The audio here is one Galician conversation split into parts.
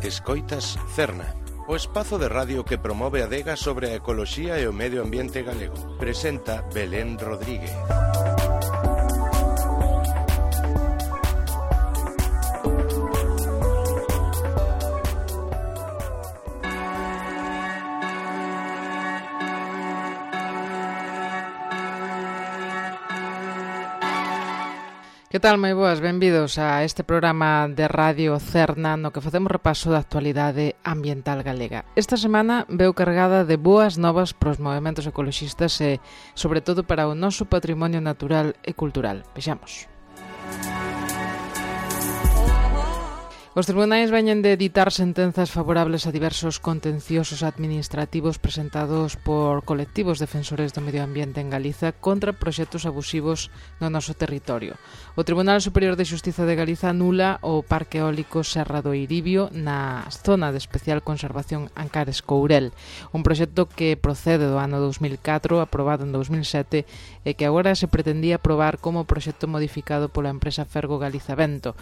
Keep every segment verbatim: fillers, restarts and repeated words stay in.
Escoitas Cerna, o espazo de radio que promove a adega sobre a ecoloxía e o medio ambiente galego. Presenta Belén Rodríguez. Que tal, moi boas? Benvidos a este programa de Radio Cerna no que facemos repaso da actualidade ambiental galega. Esta semana veu cargada de boas novas para os movementos ecoloxistas e, sobre todo, para o noso patrimonio natural e cultural. Vexamos. Os tribunais veñen de editar sentenzas favorables a diversos contenciosos administrativos presentados por colectivos defensores do medio ambiente en Galiza contra proxectos abusivos no noso territorio. O Tribunal Superior de Xustiza de Galiza anula o Parque Eólico Serra do Eiribio na zona de especial conservación Ancares-Courel, un proxecto que procede do ano dos mil catro, aprobado en dos mil sete, e que agora se pretendía aprobar como proxecto modificado pola empresa Fergo Galiza Vento.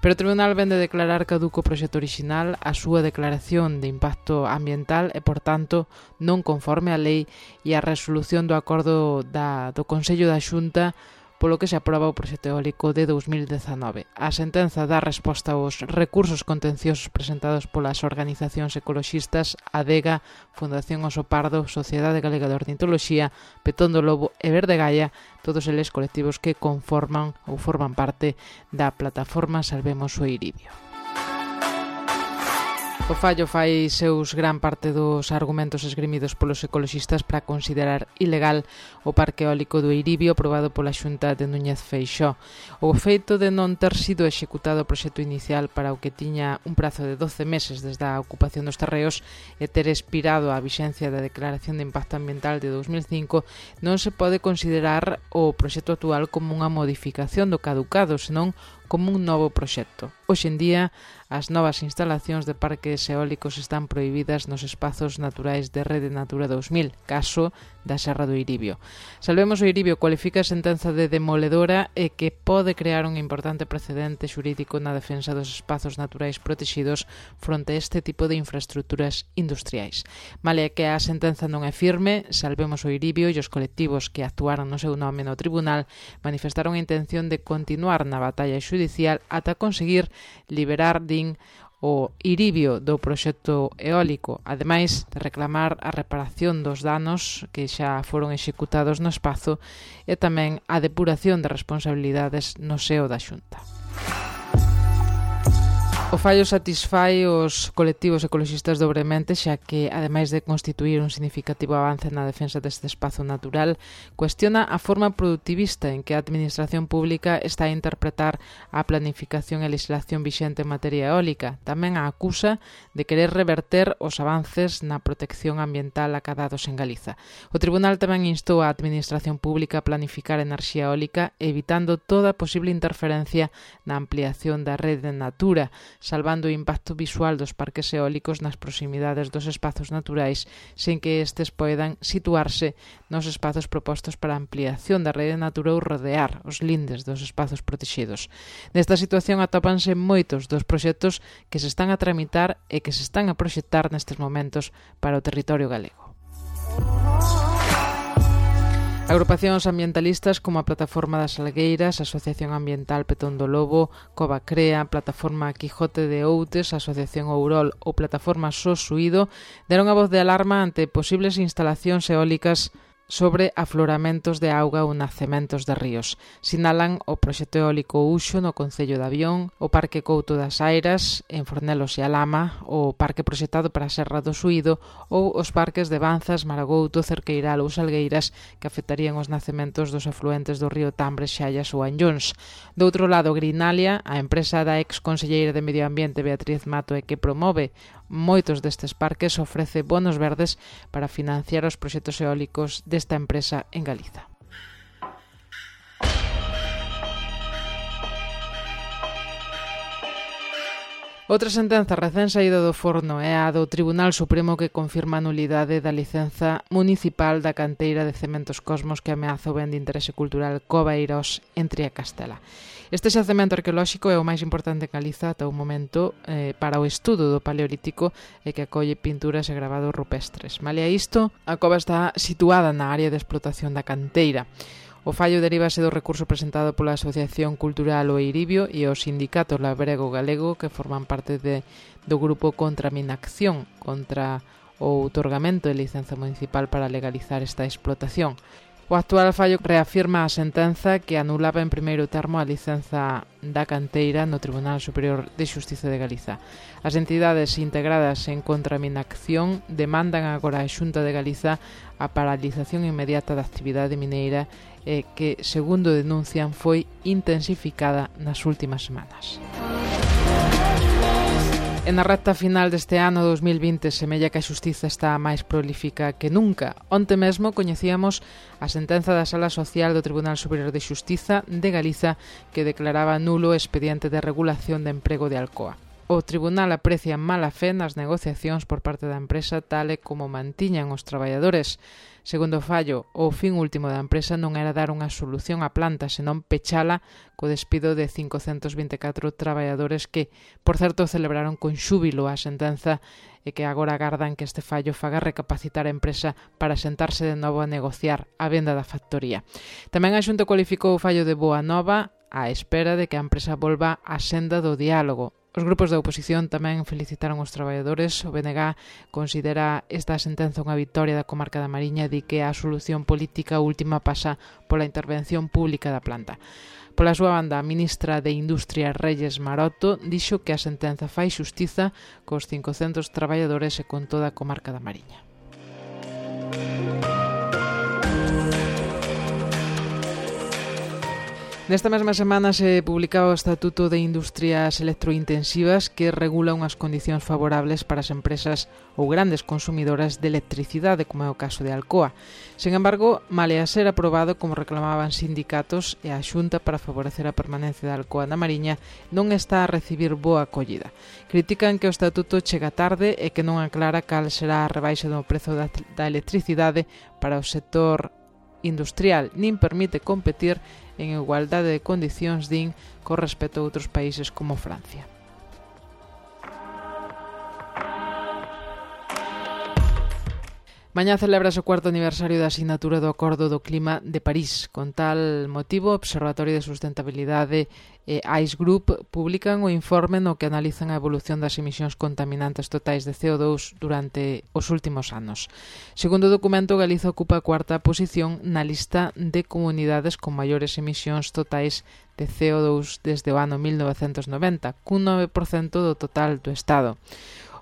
Pero o Tribunal vende declarar caduco o proxecto orixinal, a súa declaración de impacto ambiental e, por tanto, non conforme á lei e a resolución do acordo da, do Consello da Xunta polo que se aproba o proxecto eólico de dos mil dezanove. A sentenza dá resposta aos recursos contenciosos presentados polas organizacións ecoloxistas ADEGA, Fundación Oso Pardo, Sociedade Galega de Ornitoloxía, Petón do Lobo e Verde Gaia, todos eles colectivos que conforman ou forman parte da plataforma Salvemos o Eiribio. O fallo fai seus gran parte dos argumentos esgrimidos polos ecoloxistas para considerar ilegal o Parque Eólico do Eiribio aprobado pola Xunta de Núñez Feixóo. O feito de non ter sido executado o proxecto inicial para o que tiña un prazo de doce meses desde a ocupación dos terreos e ter expirado a vixencia da Declaración de Impacto Ambiental de dos mil cinco non se pode considerar o proxecto actual como unha modificación do caducado, senón como un novo proxecto. Hoxe en día, as novas instalacións de parques eólicos están prohibidas nos espazos naturais de Rede Natura dos mil, caso da Serra do Eiribio. Salvemos o Eiribio cualifica a sentenza de demoledora e que pode crear un importante precedente xurídico na defensa dos espazos naturais protexidos fronte a este tipo de infraestructuras industriais. Male que a sentenza non é firme, Salvemos o Eiribio e os colectivos que actuaron no seu nome no tribunal manifestaron a intención de continuar na batalla xudicial ata conseguir liberar, din, o Eiribio do proxecto eólico, ademais de reclamar a reparación dos danos que xa foron executados no espazo e tamén a depuración de responsabilidades no seo da Xunta. O fallo satisfai os colectivos ecoloxistas dobremente, xa que, ademais de constituir un significativo avance na defensa deste espazo natural, cuestiona a forma productivista en que a Administración Pública está a interpretar a planificación e legislación vixente en materia eólica. Tamén a acusa de querer reverter os avances na protección ambiental acadados en Galiza. O Tribunal tamén instou a Administración Pública a planificar enerxía eólica, evitando toda posible interferencia na ampliación da rede Natura, salvando o impacto visual dos parques eólicos nas proximidades dos espazos naturais sen que estes poidan situarse nos espazos propostos para a ampliación da rede Natura ou rodear os lindes dos espazos protexidos. Nesta situación atópanse moitos dos proxectos que se están a tramitar e que se están a proxectar nestes momentos para o territorio galego. Agrupacións ambientalistas como a Plataforma das Salgueiras, Asociación Ambiental Petón do Lobo, Cova Crea, Plataforma Quijote de Outes, Asociación Ourol ou Plataforma Sosuído deron a voz de alarma ante posibles instalacións eólicas sobre afloramentos de auga ou nacementos de ríos. Sinalan o proxecto eólico Uxo no Concello de Avión, o Parque Couto das Airas en Fornelos e Alama, o parque proxectado para a Serra do Suído ou os parques de Banzas, Maragouto, Cerqueiral ou Salgueiras que afectarían os nacementos dos afluentes do río Tambre, Xallas ou Anllóns. Do outro lado, Grinalia, a empresa da ex conselleira de Medio Ambiente Beatriz Mato e que promove moitos destes parques, ofrece bonos verdes para financiar os proxectos eólicos desta empresa en Galiza. Outra sentenza recén saída do forno é a do Tribunal Supremo que confirma a nulidade da licenza municipal da canteira de Cementos Cosmos que ameaza o ben de interese cultural Coveiros en Triacastela. Este xacemento arqueolóxico é o máis importante en Galiza ata o momento eh, para o estudo do Paleolítico e que acolle pinturas e gravados rupestres. Malia isto, a cova está situada na área de explotación da canteira. O fallo derívase do recurso presentado pola Asociación Cultural O Eiribio e os sindicatos labrego galego que forman parte de, do grupo contra a Minacción, contra o outorgamento de licenza municipal para legalizar esta explotación. O actual fallo reafirma a sentenza que anulaba en primeiro termo a licenza da canteira no Tribunal Superior de Xustiza de Galiza. As entidades integradas en Contraminacción demandan agora a Xunta de Galiza a paralización inmediata da actividade mineira e que, segundo denuncian, foi intensificada nas últimas semanas. En a recta final deste ano dos mil vinte semella que a xustiza está máis prolífica que nunca. Onte mesmo coñecíamos a sentenza da Sala Social do Tribunal Superior de Xustiza de Galiza que declaraba nulo o expediente de regulación de emprego de Alcoa. O tribunal aprecia mala fe nas negociacións por parte da empresa tal e como mantiñan os traballadores. Segundo o fallo, o fin último da empresa non era dar unha solución á planta, senón pechala co despido de cincocentos vinte e catro traballadores que, por certo, celebraron con xúbilo a sentenza e que agora agardan que este fallo faga recapacitar a empresa para sentarse de novo a negociar a venda da factoría. Tamén a Xunta cualificou o fallo de boa nova á espera de que a empresa volva á senda do diálogo. Os grupos da oposición tamén felicitaron os traballadores. O B N G considera esta sentenza unha vitoria da comarca da Mariña e di que a solución política última pasa pola intervención pública da planta. Pola súa banda, a ministra de Industria Reyes Maroto dixo que a sentenza fai xustiza cos cincocentos traballadores e con toda a comarca da Mariña. Nesta mesma semana se publicaba o Estatuto de Industrias Electrointensivas que regula unhas condicións favorables para as empresas ou grandes consumidoras de electricidade, como é o caso de Alcoa. Sen embargo, malia ser aprobado como reclamaban sindicatos e a Xunta para favorecer a permanencia de Alcoa na Mariña, non está a recibir boa acollida. Critican que o Estatuto chega tarde e que non aclara cal será a rebaixa do prezo da, da electricidade para o sector industrial, nin permite competir en igualdade de condicións, din, con respecto a outros países como Francia. Mañá celebrase o cuarto aniversario da asinatura do Acordo do Clima de París. Con tal motivo, o Observatorio de Sustentabilidade e ICE Group publican o informe no que analizan a evolución das emisións contaminantes totais de C O dous durante os últimos anos. Segundo o documento, Galiza ocupa a cuarta posición na lista de comunidades con maiores emisións totais de C O dous desde o ano mil novecentos noventa, cun nove por cento do total do Estado.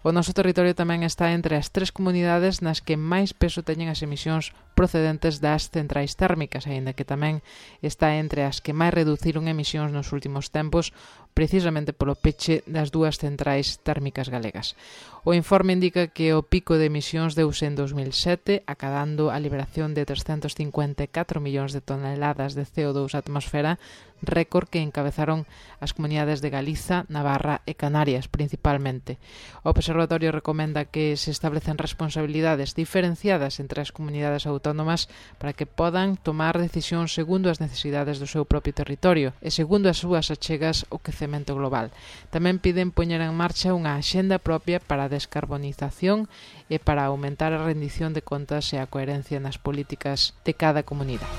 O noso territorio tamén está entre as tres comunidades nas que máis peso teñen as emisións procedentes das centrais térmicas, aínda que tamén está entre as que máis reduciron emisións nos últimos tempos, precisamente polo peche das dúas centrais térmicas galegas. O informe indica que o pico de emisións deuse en dos mil sete, acadando a liberación de trescentos cincuenta e catro millóns de toneladas de C O dous á atmosfera, récord que encabezaron as comunidades de Galiza, Navarra e Canarias, principalmente. O Observatorio recomenda que se establecen responsabilidades diferenciadas entre as comunidades autónomas para que podan tomar decisións segundo as necesidades do seu propio territorio e segundo as súas achegas ao quecemento global. Tamén piden poñer en marcha unha axenda propia para a descarbonización e para aumentar a rendición de contas e a coherencia nas políticas de cada comunidade.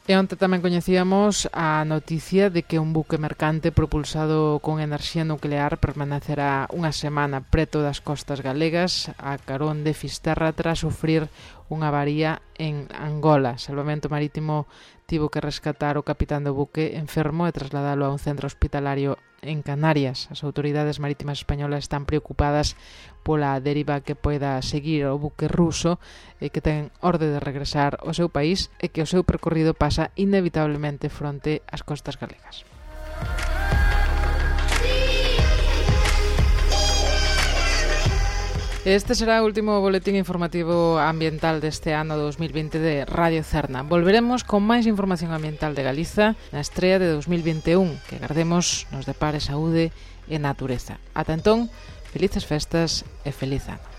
E onte tamén coñecíamos a noticia de que un buque mercante propulsado con enerxía nuclear permanecerá unha semana preto das costas galegas a carón de Fisterra tras sufrir unha avaría en Angola. Salvamento Marítimo tivo que rescatar o capitán do buque enfermo e trasladalo a un centro hospitalario en Canarias. As autoridades marítimas españolas están preocupadas pola deriva que poida seguir o buque ruso e que ten orde de regresar ao seu país e que o seu percorrido pasa inevitablemente fronte ás costas galegas. Este será o último boletín informativo ambiental deste ano dos mil vinte de Radio Cerna. Volveremos con máis información ambiental de Galiza na estrea de dos mil vinte e un, que agardemos nos depare saúde e natureza. Ata entón, felices festas e feliz ano.